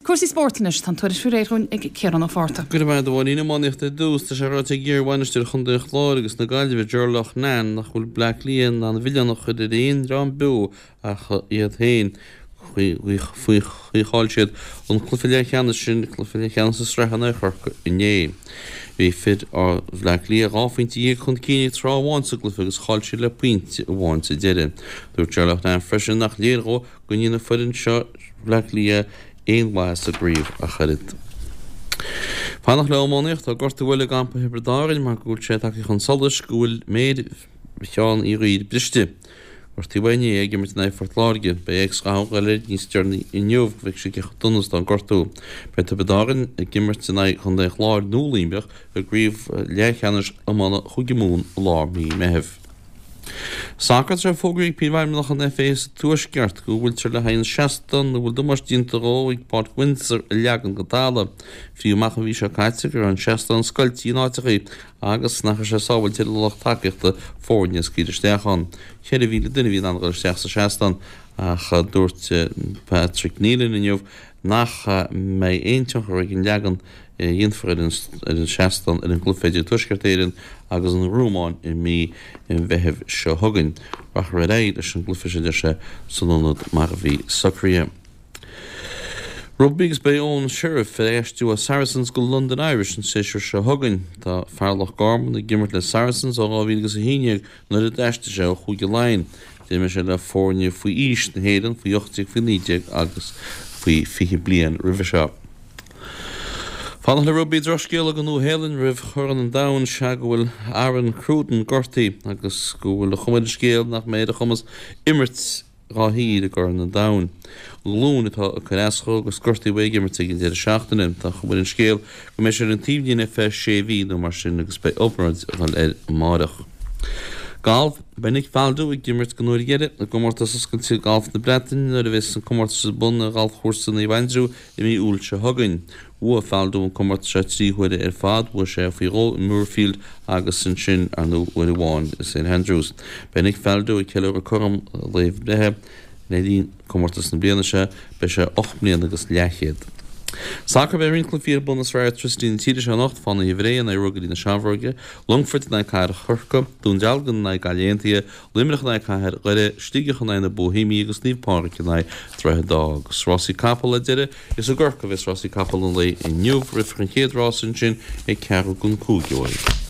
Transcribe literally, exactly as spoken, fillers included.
Cúrsaí spóirt anois, tá an tuairisc faoi réir dhúinn ag Ciarán Ó Fátharta. Go raibh maith agat a Mháirín. Iománaíocht ar dtús, tá sé ráite ag iar-bhainisteoir Chontae an Chláir agus na Gaillimhe, Ger Loughnane, nach bhfuil Bleá Cliath in ann an milleán a chur ar aon dream beo ach iad féin faoi chaoi a chaill siad an cluiche leathcheannais sin, cluiche leathcheannais na sraithe in aghaidh Chorcaí inné. Bhí fir Bhleá Cliath dhá phointe dhéag chun cinn ag tráth amháin sa gcluiche agus chaill siad le pointe amháin sa deireadh. Dúirt Ger Loughnane freisin nach léir dhó go ndéanfaidh foireann seo Bhleá Cliath aon mhaitheas sa gcraobh ach oiread. Fanacht le iománaíocht, tá gortú eile i gcampa Thiobraid Árann mar go bhfuil sé tagtha chun solais go bhfuil méar Sheáin Uí Dhuibhir briste. Gortaíodh é inné ag imirt in aghaidh Phort Láirge. Beidh X-ghatha ag dul air níos deireanaí inniu go bhfeicfidh sé cé chomh dona is atá an gortú. Beidh Tiobraid Árann ag imirt in aghaidh Chontae an Chláir nó Luimneach i gcraobh leathcheannais iomána Chúige Mumhan i lár mhí Meithimh. Sacar, Tá sé fógraithe ag Príomhfheidhmeannach an FA sa Tuaisceart go bhfuiltear le haghaidh an seastán a bhfuil damáiste déanta dhó ag Páirc Windsor a leagan go talamh. Frítheadh amach an mhí seo caite go raibh an seastán scoilte in áiteachaí agus nach raibh sé sábhailte do lucht tacaíochta foirne a scaoileadh isteach ann. Ceithre mhíle duine a bhí in ann a dhul isteach sa seastán ach dúirt Patrick Neilan inniu nach mbeidh aon tionchar ag an leagan a dhéanfar ar an seastán ar an gcluiche idir Tuaisceart Éireann agus an Rómáin i mí an Mheithimh seo chugainn. Rachfar ar aghaidh leis an gcluiche seo, a deir sé, san ionad mar a bhí socraithe. Rugbaí agus beidh Eoin Sheriff ag aistriú ó Saracens go London Irish an séasúr seo chugainn. Tá fear Loch Garman ag imirt le Saracens ó dhá mhíle agus a haon déag nuair a d'aistrigh sé ó Chúige Laighean. D'imir sé le foirne faoi aois na hÉireann, faoi ocht déag, faoi naoi déag agus faoi fiche bliain roimhe seo. Fanacht le rugbaí, drochscéala don Nua-Shéalainn roimh Chorn an Domhain is ea go bhfuil Aaron Cruden gortaithe agus go bhfuil an chuma ar an scéal nach mbeidh ar a chumas imirt dhá thír i gCorn an Domhain. An ghlúin atá ag cur as dhó agus gortaíodh é ag imirt ag an deireadh seachtaine. Tá an chuma ar an scéal go mbeidh sé ar an taobhlíne ar feadh sé mhí nó mar sin agus beidh obráid ag dul air amáireach. Galf, Beidh Nick Faldo ag imirt don uair dheiridh i gcomórtas oscailte galf na Breataine nuair a bheas an comórtas ar bun ar ghalfchúrsa Naomh Aindriú i mí Iúil seo chugainn. Bhuaigh Faldo an comórtas seo trí huaire ar fad, bhuaigh sé faoi dhó i Muirfield agus ansin, ar ndóigh, uair amháin i St Andrews. Beidh Nick Faldo ag ceiliúradh cothrom a lae breithe le linn comórtas na bliana seo, beidh sé ocht mbliana agus leathchéad. Sacar, Beidh roinnt cluichí ar bun i Sraith Airtricity na tíre seo anocht, Fánaithe Bhré in aghaidh Ruagairí na Seamróige, Longfort in aghaidh Cathair Chorcaí, Dún Dealgan in aghaidh Gaillimh Aontaithe, Luimneach in aghaidh Cathair Dhoire, Sligeach in aghaidh na Boihéimigh agus Naomh Pádraig in aghaidh Droichead Átha. Agus rásaí capall ar deireadh, is i gCorcaigh a bheas rásaí capall an lae inniu, rithfear an chéad rás ansin ag ceathrú don cúig uaidh.